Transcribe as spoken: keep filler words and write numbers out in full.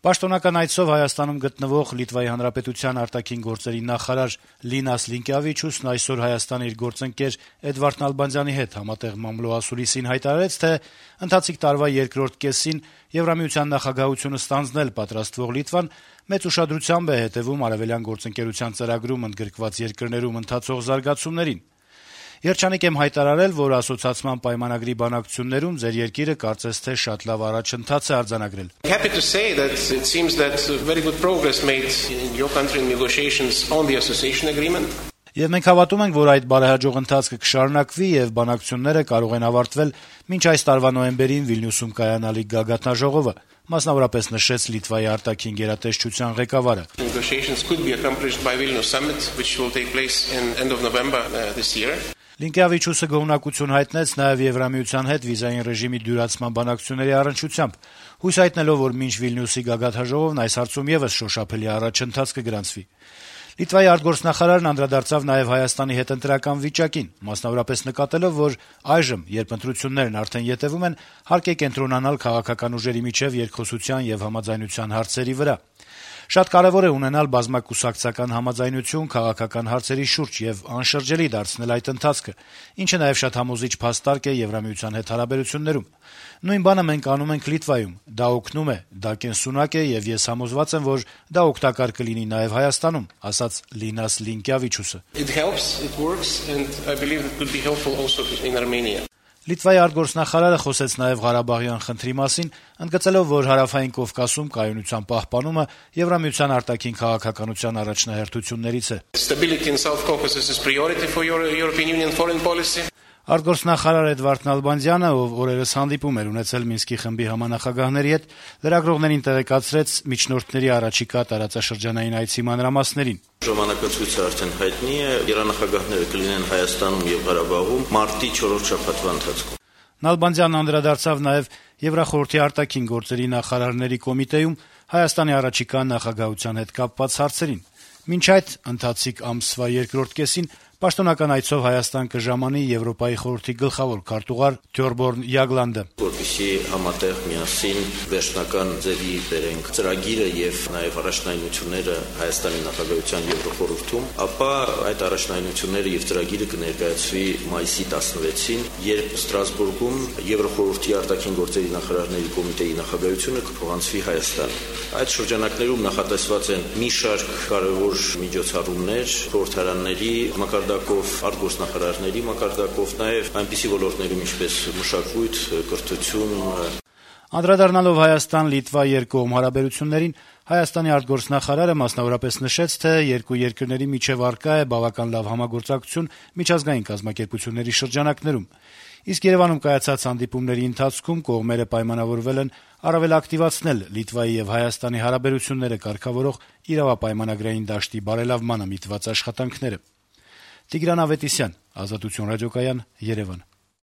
Պաշտոնական այցով Հայաստանում գտնվող Լիտվայի Հանրապետության արտաքին գործերի նախարար Լինաս Լինկեավիչուսն այսօր Հայաստանի իր գործընկեր Էդվարդ Նալբանդյանի հետ համատեղ մամլոասուլիսին հայտարարեց, թե ընթացիկ տարվա երկրորդ կեսին Եվրամիության նախագահությունը ստանձնել պատրաստվող Լիտվան մեծ ուշադրությամբ է հետեւում արևելյան գործընկերության ծրագրում ընդգրկված երկրներում ընթացող զարգացումներին։ Երջանիկ եմ հայտարարել, որ ասոցիացման պայմանագրի բանակցություններում ձեր երկիրը կարծես թե շատ լավ առաջընթաց է արձանագրել։ Happy to say that it seems that very good progress made in your country in negotiations on the association agreement. Եվ մենք հավատում ենք, որ այդ բարեհաջող ընթացքը կշարունակվի եւ բանակցությունները կարող են ավարտվել մինչ այս տարվա նոյեմբերին Վիլնյուսում կայանալիք գագաթնաժողովը, մասնավորապես նշեց Լիտվայի արտաքին գերատեսչության ղեկավարը։ Negotiations could be accomplished by Vilnius summit, which will take place in end of November uh, this year. Լինկեավիչուսը գոհունակություն հայտնեց նաեւ Եվրամիության հետ վիզային ռեժիմի դյուրացման բանակցությունների առնչությամբ, հույս հայտնելով, որ մինչ Վիլնյուսի գագաթնաժողովն այս հարցում եւս շոշափելի առաջընթաց կգրանցվի։ Լիտվայի արտգործնախարարն անդրադարձավ նաեւ Հայաստանի հետ ընտրական վիճակին, մասնավորապես նկատելով, որ այժմ, երբ ընտրություններն արդեն ետևում են, հարկ է կենտրոնանալ քաղաքական ուժերի միջև երկխոսության եւ համաձայնության հարցերի վրա։ Շատ կարեւոր է ունենալ բազմակուսակցական համաձայնություն քաղաքական հարցերի շուրջ եւ անշրջելի դարձնել այդ ընթացքը, ինչը նաեւ շատ համոզիչ փաստարկ է Եվրամիության հետ հարաբերություններում։ Նույն բանը մենք անում ենք Լիտվայում։ Դա օգնում է, դա կենսունակ է եւ ես համոզված եմ, որ դա օգտակար կլինի նաեւ Հայաստանում, ասաց Լինաս Լինկեավիչուսը։ It helps, it works, and I believe it could be helpful also in Armenia. Լիտվայի արտգործնախարարը խոսեց նաեւ Ղարաբաղյան խնդրի մասին, ընդգծելով, որ Հարավային Կովկասում կայունության պահպանումը Եվրամիության արտաքին քաղաքականության առաջնահերթություններից է։ Stability in South Caucasus is priority for your European Union foreign policy. Արտգործնախարար Էդվարդ Նալբանդյանը, ով օրերս հանդիպում էր ունեցել Մինսկի խմբի համանախագահների հետ, լրագրողներին տեղեկացրեց միջնորդների առաջիկա տարածաշրջանային այցի մանրամասներին։ Ժամանակացույցը արդեն հայտնի է, գերանախագահները կլինեն Հայաստանում եւ Ղարաբաղում մարտի չորրորդ շաբաթվա ընթացքում։ Նալբանդյանն անդրադարձավ նաեւ Եվրախորհրդի արտաքին գործերի նախարարների կոմիտեում Հայաստանի առաջիկա նախագահության հետ կապված հարցերին։ Մինչ այդ ընթացիկ ամսվա երկրորդ կեսին պաշտոնական այցով Հայաստան կժամանի Եվրոպայի խորհրդի գլխավոր քարտուղար Թյորբորն Յագլանդը, որպեսզի համատեղ միասին վերջնական ձևի բերենք ծրագիրը եւ նաեւ առաջնայնությունները Հայաստանի նախագահության Եվրոխորհրդում, ապա այդ առաջնայնությունները եւ ծրագիրը կներկայացվի մայիսի տասնվեցին, երբ Ստրասբուրգում Եվրոխորհրդի արտաքին գործերի նախարարների կոմիտեի նախագահությունը կփոխանցվի Հայաստան։ Այդ շրջանակներում նախատեսված են մի շարք կարևոր միջոցառումներ խորհրդարանների մակարդակով, արտգործնախարարների մակարդակով, նաև այնպիսի ոլորտներում ինչպես մշակույթ, կրթություն։ Անդրադառնալով Հայաստան-Լիտվա երկկողմ հարաբերություններին, Հայաստանի արտգործնախարարը մասնավորապես նշեց, թե երկու երկրների միջև առկա է բավական լավ համագործակցություն միջազգային կազմակերպությունների շրջանակներում։ Իսկ Երևանում կայացած հանդիպումների ընթացքում կողմերը պայմանավորվել են առավել ակտիվացնել Լիտվայի եւ Հայաստանի հարաբերությունները կարգավորող իրավապայմանագրային դաշտի բարելավմանը միտված աշխատանքները։ Տիգրան Ավետիսյան, Ազատություն ռադիոկայան, Երևան։